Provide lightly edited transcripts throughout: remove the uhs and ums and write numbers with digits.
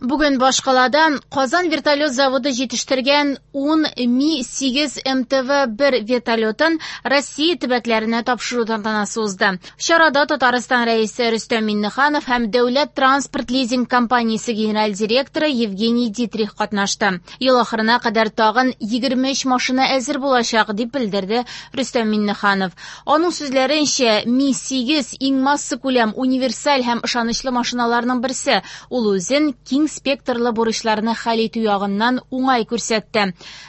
Бүген башкалада Казан вертолет заводы җитештергән 10 Ми-8 МТВ-1 вертолетын Россия төбәкләренә тапшыру тантанасы узды. Чарада Татарстан Рәисе Рөстәм Миңнеханов һәм Дәүләт транспорт лизинг компаниясе генераль директоры Евгений Дитрих катнашты. Ел ахырына кадәр тагын 23 машина әзер булачак, дип белдерде Рөстәм Миңнеханов. Аның сүзләренчә, Ми-8 иң массакүләм, универсаль һәм ышанычлы машиналарның берсе. Ул үзен киң спектрлы бурычларны хәл итү ягыннан уңай күрсәтте.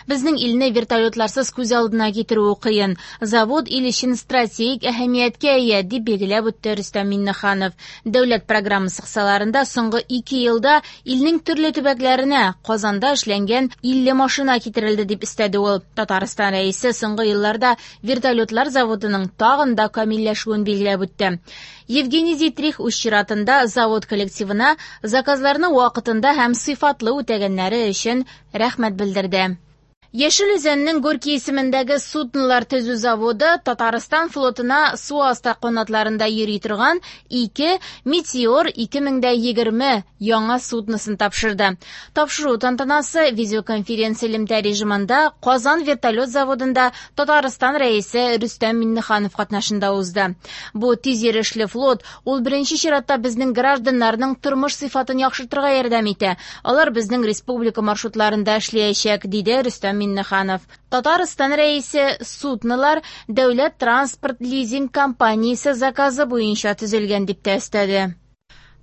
Безнең илне вертолетларсыз күз алдына китерүе кыен. Завод ил өчен стратегик әһәмияткә ия, дип билгеләп үтте Рөстәм Миңнеханов. Дәүләт программасы кысаларында соңгы 2 елда илнең төрле төбәкләренә Казанда эшләнгән 50 машина китерелде, дип өстәде ул. Татарстан Рәисе соңгы елларда вертолетлар заводының тагын да камилләшүен билгеләп үтте. Евгений Дитрих үз чиратында завод коллективына заказларны вакытында һәм сыйфатлы үтәгәннәре өчен рәхмәт белдерде. Яшел Үзәннең Горький исемендәге суднолар төзү заводы Татарстан флотына су асты канатларында йөри торган 2 Метеор 2020 яңа судносын тапшырды. Тапшыру тантанасы видеоконференция элемтә режимында Казан вертолет заводында Татарстан Рәисе Рөстәм Миңнеханов катнашында узды. Бу тиз йөрешле флот ул беренче чиратта безнең гражданнарның тормыш сыйфатын яхшыртырга ярдәм итә. Алар безнең республика маршрутларында эшләячәк, диде Рөстәм Миңнеханов. Татарстан Рәисе суднолар Дәүләт транспорт лизинг компаниясе заказы буенча төзелгән дип тә өстәде.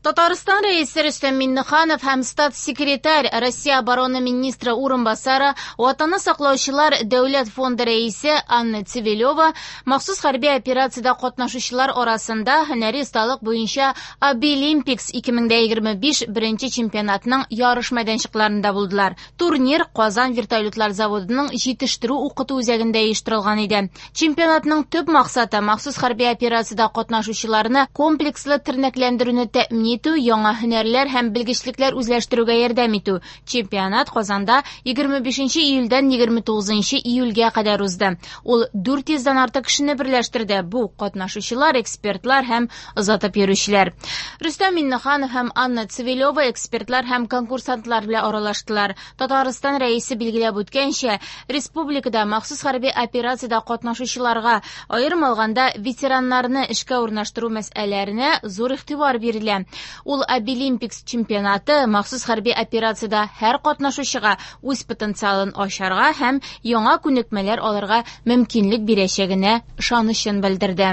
Татарстан Рәисе Рөстәм Миңнеханов һәм статс-секретарь Россия оборона министры урынбасары Ватанны саклаучылар дәүләт фонды рәисе Анна Цивилева махсус хәрби операциядә катнашучылар арасында һөнәри осталык буенча Абилимпикс 2025 беренче чемпионатның ярыш мәйданчыкларында булдылар. Турнир Казан вертолетлар заводының җитештерү укыту үзәгендә оештырылган иде. Чемпионатның төп максаты махсус хәрби операциядә катнашучыларны комплекслы тернәкләндерүне тәэмин итү, яңа һөнәрләр һәм белгечлекләр үзләштерүгә ярдәм итү. Чемпионат Казанда 25 июльдән 29 июльгә кадәр узды. Ул 400-дән артык кешене берләштерде. Бу катнашучылар, экспертлар һәм озатып йөрүчеләр. Рөстәм Миңнеханов һәм Анна Цивилева экспертлар һәм конкурсантлар белән аралаштылар. Татарстан Рәисе билгеләп үткәнчә, республикада махсус хәрби операциядә катнашучыларга, аерым алганда ветераннарны эшкә урнаштыру мәсьәләләренә зур игътибар бирелә. Ул Абилимпикс чемпионаты махсус хәрби операциядә һәр катнашучыга үз потенциалын ачарга һәм яңа күнекмәләр алырга мөмкинлек бирәчәгенә ышанычын белдерде.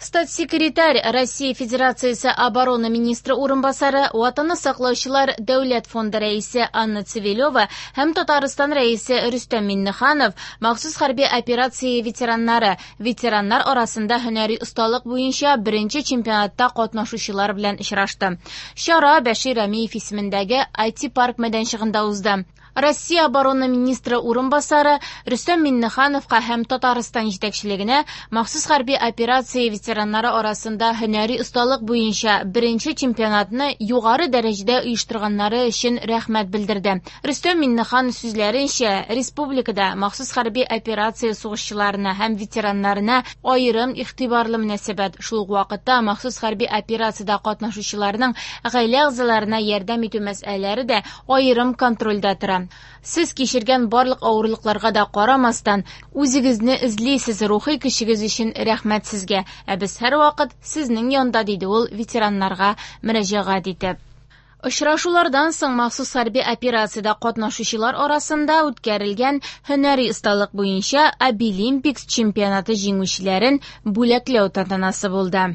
Статс-секретарь Россия Федерациясе оборона министры урынбасары Ватанны саклаучылар дәүләт фонды рәисе Анна Цивилева һәм Татарстан Рәисе Рөстәм Миңнеханов махсус хәрби операция ветераннары, ветераннар арасында һөнәри осталык буенча беренче чемпионатта катнашучылар белән очрашты. Чара Бәшир Рәмиев исемендәге IT-парк мәйданчыгында узды. Россия оборона министры урынбасары Рөстәм Миңнехановка һәм Татарстан җитәкчелегенә махсус хәрби операция ветераннары арасында һөнәри осталык буенча беренче чемпионатны югары дәрәҗәдә оештырганнары өчен рәхмәт белдерде. Рөстәм Миңнеханов сүзләренчә, республикада махсус хәрби операция сугышчыларына һәм ветераннарына аерым игътибарлы мөнәсәбәт, шул ук вакытта махсус хәрби операциядә катнашучыларның гаилә әгъзаларына ярдәм итү мәсьәләләре дә аерым контрольдә тора. Сез кичергән барлык авырлыкларга да карамастан, үзегезне эзлисез, рухи көчегез өчен рәхмәт сезгә. Ә без һәрвакыт сезнең янда, диде ул ветераннарга мөрәҗәгать итеп. Очрашулардан соң махсус хәрби операциядә катнашучылар арасында үткәрелгән һөнәри осталык буенча Абилимпикс чемпионаты җиңүчеләрен бүләкләү тантанасы булды.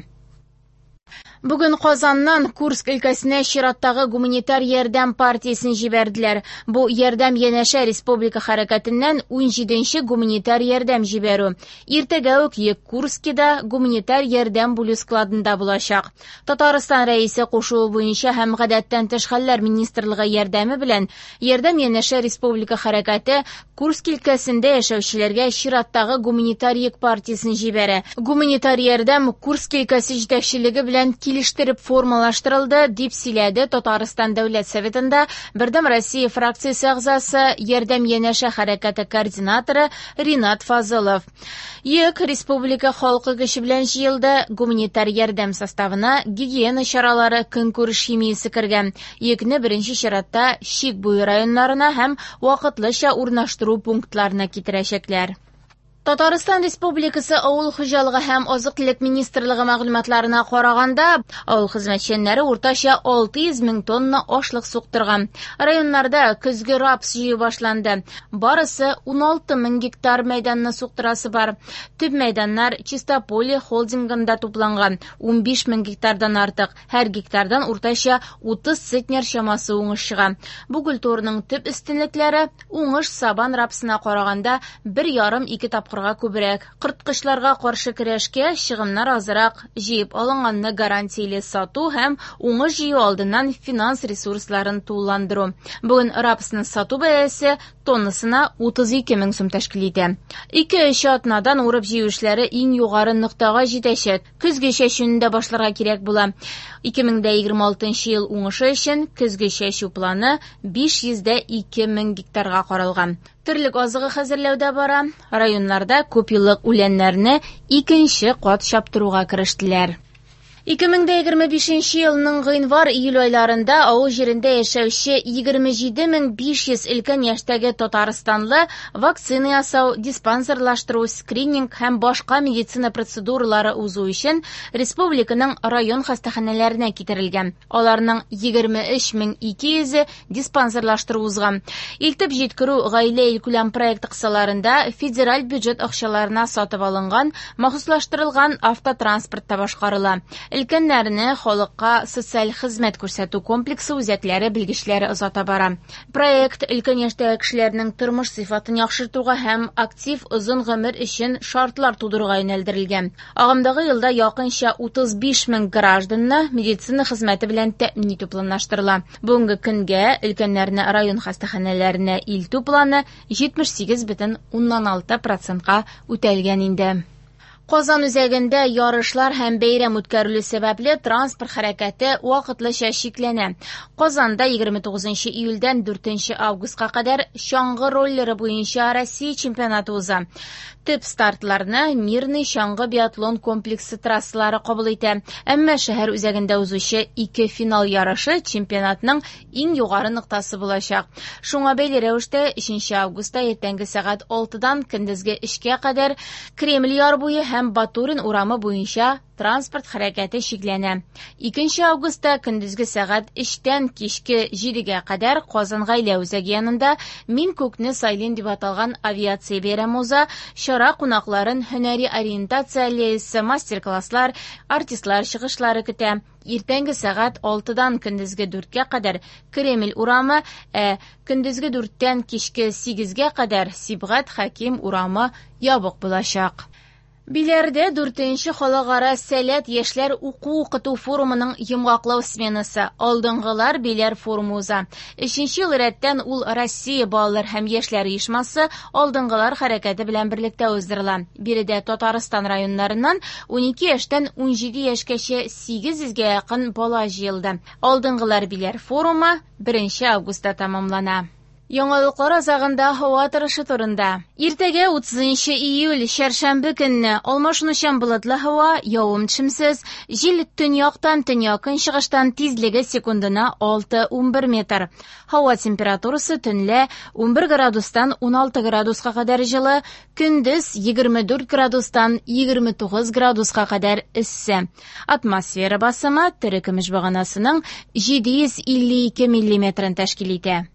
Бүген Казаннан Курск өлкәсенә чираттагы гуманитар ярдәм партиясен җибәрделәр. Бу ярдәм янәшә республика хәрәкәтеннән 17нче гуманитар ярдәм җибәрү. Иртәгә үк йөк Курскида гуманитар ярдәм бүлү складында булачак. Татарстан Рәисе кушуы буенча һәм гадәттән тыш хәлләр министрлыгы ярдәме белән ярдәм янәшә республика хәрәкәте Курск өлкәсендә яшәүчеләргә чираттагы гуманитар йөк партиясен җибәрә. Гуманитар ярдәм Курск өлкәсе җитәкчелеге белән килешү килештереп формалаштырылды, дип сөйләде Татарстан Дәүләт Советында Бердәм Россия фракциясе әгъзасы, Ярдәм янәшә хәрәкәте координаторы Ринат Фазылов. Йөк республика халкы көче белән җыелды. Гуманитар ярдәм составына гигиена чаралары, көнкүреш химиясе кергән. Йөкне беренче чиратта чик буе районнарына һәм вакытлыча урнаштыру пунктларына китерәчәкләр. Татарстан Республикасы Авыл хуҗалыгы һәм азык-төлек министрлыгы мәгълүматларына караганда, авыл хезмәтчәннәре уртача 600 мең тонна ашлык суктырган. Районнарда көзге рапс җыю башланды. Барысы 16 мең гектар мәйданны суктырасы бар. Төп мәйданнар Чистополье холдингында тупланган 15 мең гектардан артык. Һәр гектардан уртача 30 центнер чамасы уңыш чыга. Бу культураның төп өстенлекләре уңыш сабан рапсына караганда 1,5-2 тапкырга күбрәк. Корткычларга каршы көрәшкә чыгымнар азрак, җыеп алынганны гарантияле сату һәм уңыш җыю алдыннан финанс ресурсларын тулыландыру. Бүген рапсны сату бәясе тоннасына 32 мең сум тәшкил итә. 2-3 атнадан урып җыю эшләре иң югары ноктага җитәчәк. Көзге чәчүне дә башларга кирәк була. 2026 ел уңышы өчен көзге чәчү планы 502 мең гектарга каралган. Терлек азыгы хәзерләү дә бара. Районнарда күпьеллык үләннәрне икенче кат чаптыруга керештеләр. 2025 елның гыйнвар-июль айларында авыл җирендә яшәүче 27500 өлкән яшьтәге татарстанлы вакцина ясау, диспансерлаштыру, скрининг һәм башка медицина процедуралары узу өчен республиканың район хастаханәләренә китерелгән. Аларның 23200-е диспансерлаштыру узган. Илтеп җиткерү гаилә илкүләм проекты кысаларында федераль бюджет акчаларына сатып алынган махсуслаштырылган автотранспортта башкарыла. Өлкәннәрне халыкка социаль хезмәт күрсәтү комплексы үзәкләре белгечләре озата бара. Проект өлкән яшьтәге кешеләрнең тормыш сыйфатын яхшыртуга һәм актив озын гомер өчен шартлар тудыруга юнәлдерелгән. Агымдагы елда якынча 35 мең гражданны медицина хезмәте белән тәэмин итү планлаштырыла. Бүгенге көнгә өлкәннәрне район хастаханәләренә илтү планы 78,6 процентка үтәлгән инде. Казан үзәгендә ярышлар һәм бәйрәм үткәрелү сәбәпле транспорт хәрәкәте вакытлыча чикләнә. Казанда 29 июльдән 4 августка кадәр чаңгы роллеры буенча Россия чемпионаты уза. Төп стартларны Мирный чаңгы биатлон комплексы трассалары кабул итә. Әмма шәһәр үзәгендә узучы ике финал ярышы чемпионатның иң югары ноктасы булачак. Шуңа бәйле рәвештә 3 августта иртәнге сәгать 6-дан көндезге 3-кә кадәр Кремль яр буе һәм Батурин урамы буенча транспорт хәрәкәте чикләнә. 2 августта көндезге сәгать 3-тән кичке 7-гә кадәр Казан гаилә үзәге янында Мин күкне сайлыйм дип аталган авиация бәйрәме уза. Чара кунакларын һөнәри ориентация аллеясы, мастер-класслар, артистлар чыгышлары көтә. Иртәнге сәгать 6-дан көндезге 4-кә кадәр Кремль урамы, ә көндезге 4-тән кичке 8-гә кадәр Сибгат Хәким урамы ябык булачак. Биләрдә 4нче халыкара Сәләт яшьләр уку-укыту форумының йомгаклау сменасы Алдынгылар Биләр форумы уза. 3нче ел рәттән ул Россия балалар һәм яшьләр оешмасы Алдынгылар хәрәкәте белән берлектә уздырыла. Биредә Татарстан районнарыннан 12 яшьтән 17 яшькәчә 800гә якын бала җыелды. Алдынгылар Биләр форумы 1 августта тәмамлана. Яңалыклар азагында һава торышы турында. Иртәгә 30 июль, чәршәмбе көнне алмашынучан болытлы һава, явым-төшемсез, җил төньяктан төньяк-көнчыгыштан тизлеге секундына 6-11 метр. Һава температурасы төнлә 11 градустан 16 градуска кадәр җылы, көндез 24 градустан 29 градуска кадәр эссе. Атмосфера басымы терекөмеш баганасының 752 миллиметрын тәшкил итә.